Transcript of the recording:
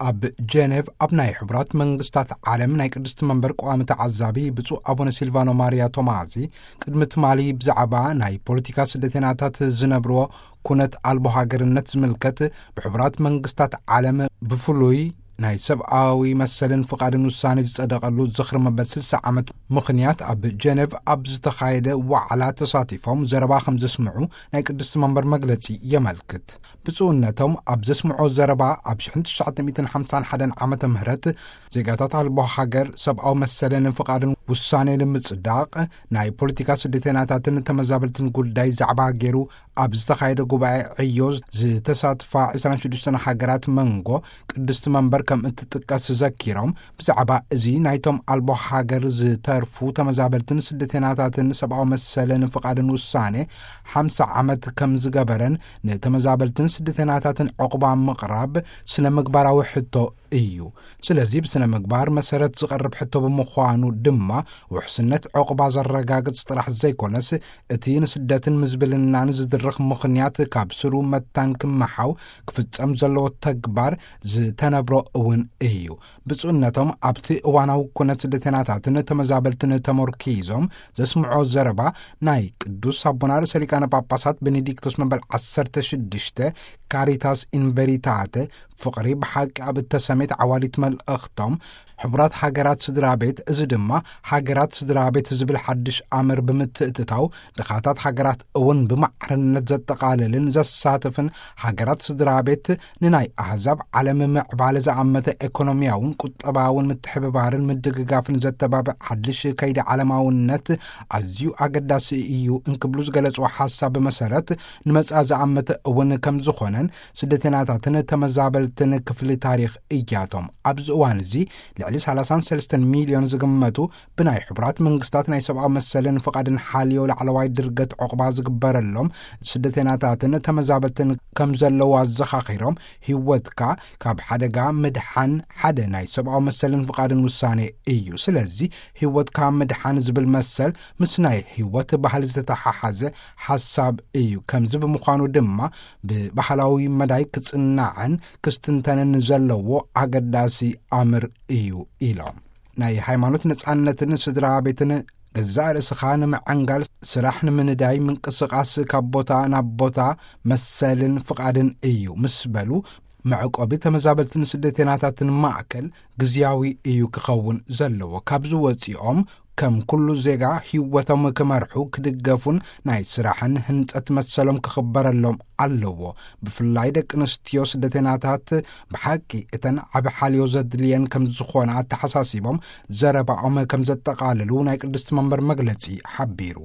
ኣብ ጀኔቭ ኣብ ናይ ሕቡራት መንግስታት ዓለም ናይ ቅድስቲ መንበር ቀዋሚ ተዓዛቢ ብፁዕ ኣቡነ ሲልቫኖ ማርያ ቶማዚ ቅድሚ ትማሊ ብዛዕባ ናይ ፖለቲካ ስደተናታት ዝነብርዎ ኩነት ኣልቦ ሃገርነት ዝምልከት ብሕቡራት መንግስታት ዓለም ብፍሉይ ናይ ሰብኣዊ መሰልን ፍቓድን ውሳኔ ዝጸደቐሉ ዝኽሪ መበል ስልሳ ዓመት ምኽንያት ኣብ ጀኔቭ ኣብ ዝተኻየደ ዋዕላ ተሳቲፎም ዘረባ ከም ዘስምዑ ናይ ቅድስቲ መንበር መግለጺ የመልክት። ብፁዕነቶም ኣብ ዘስምዖ ዘረባ ኣብ ሽሕን ትሽዓተ ሚእትን ሓምሳን ሓደን ዓመተ ምህረት ዜጋታት ኣልቦ ሃገር ሰብኣዊ መሰልን ፍቓድን ውሳኔ ንምጽዳቕ ናይ ፖለቲካ ስደተናታትን ተመዛበልትን ጉዳይ ዛዕባ ገይሩ ኣብ ዝተኻየደ ጉባኤ ዕዮ ዝተሳትፋ ዕስራን ሽዱሽተን ሃገራት መንጎ ቅድስቲ መንበር ከም እትጥቀስ ዘኪሮም፣ ብዛዕባ እዚ ናይቶም ኣልቦ ሃገር ዝተርፉ ተመዛበልትን ስደተናታትን ሰብኣዊ መሰልን ፍቓድን ውሳኔ ሓምሳ ዓመት ከም ዝገበረን ንተመዛበልትን ስደተናታትን ዕቑባ ምቕራብ ስነ ምግባራዊ ሕቶ እዩ። ስለዚ ብስነ ምግባር መሰረት ዝቐርብ ሕቶ ብምዃኑ ድማ ውሕስነት ዕቑባ ዘረጋግጽ ጥራሕ ዘይኮነስ እቲ ንስደትን ምዝብልናን ዝድርኽ ምኽንያት ካብ ስሩ መታን ክመሓው ክፍጸም ዘለዎ ተግባር ዝተነብሮ እውን እዩ። ብፁዕነቶም ኣብቲ እዋናዊ ኩነት ስደተናታትን ተመዛበልትን ተመርኪዞም ዘስምዖ ዘረባ ናይ ቅዱስ ኣቦና ርእሰ ሊቃነ ጳጳሳት ቤኔዲክቶስ መበል ዓሰርተ ሽዱሽተ ካሪታስ ኢንቨሪታተ ፍቕሪ ብሓቂ ኣብ እተሰሜት ዓዋዲት መልእኽቶም፣ ሕቡራት ሃገራት ስድራ ቤት፣ እዚ ድማ ሃገራት ስድራ ቤት ዝብል ሓድሽ ኣምር ብምትእትታው፣ ድኻታት ሃገራት እውን ብማዕርነት ዘጠቓልልን ዘሳትፍን ሃገራት ስድራ ቤት ንናይ ኣህዛብ ዓለም ምዕባለ ዝኣመተ ኤኮኖሚያውን ቁጠባውን ምትሕብባርን ምድግጋፍን ዘተባብዕ ሓድሽ ከይዲ ዓለማውነት ኣዝዩ ኣገዳሲ እዩ እንክብሉ ዝገለጽዎ ሓሳብ መሰረት ንመጻ ዝኣመተ እውን ከም ዝኾነን ስደተናታትን ተመዛበልትን ክፍሊ ታሪኽ እያቶም። ኣብዚ እዋን እዚ ልዕሊ ሰላሳን ሰለስተን ሚልዮን ዝግመቱ ብናይ ሕቡራት መንግስታት ናይ ሰብኣዊ መሰልን ፍቓድን ሓልዮ ላዕለዋይ ድርገት ዕቑባ ዝግበረሎም ስደተናታትን ተመዛበልትን ከም ዘለዉ ኣዘኻኺሮም፣ ህይወትካ ካብ ሓደጋ ምድሓን ሓደ ናይ ሰብኣዊ መሰልን ፍቓድን ውሳኔ እዩ። ስለዚ ህይወትካ ምድሓን ዝብል መሰል ምስ ናይ ህይወት ባህሊ ዝተተሓሓዘ ሓሳብ እዩ። ከምዚ ብምዃኑ ድማ ብባህላዊ መዳይ ክጽናዕን ክስትንተንን ዘለዎ ኣገዳሲ ኣምር እዩ ኢሎም። ናይ ሃይማኖት ነጻነትን ስድራ ቤትን ገዛእ ርእስኻ ንምዕንጋል፣ ስራሕ ንምንዳይ፣ ምንቅስቓስ ካብ ቦታ ናብ ቦታ መሰልን ፍቓድን እዩ ምስ በሉ፣ መዕቆቢ ተመዛበልትን ስደተናታትን ማእከል ግዝያዊ እዩ ክኸውን ዘለዎ። ካብዚ ወጺኦም ከም ኩሉ ዜጋ ህይወቶም ክመርሑ፣ ክድገፉን ናይ ስራሕን ህንጸት መሰሎም ክኽበረሎም ኣለዎ። ብፍላይ ደቂ ኣንስትዮ ስደተናታት ብሓቂ እተን ዓቢ ሓልዮ ዘድልየን ከም ዝኾና ኣተሓሳሲቦም ዘረባኦም ከም ዘጠቓልሉ ናይ ቅድስቲ መንበር መግለጺ ሓቢሩ።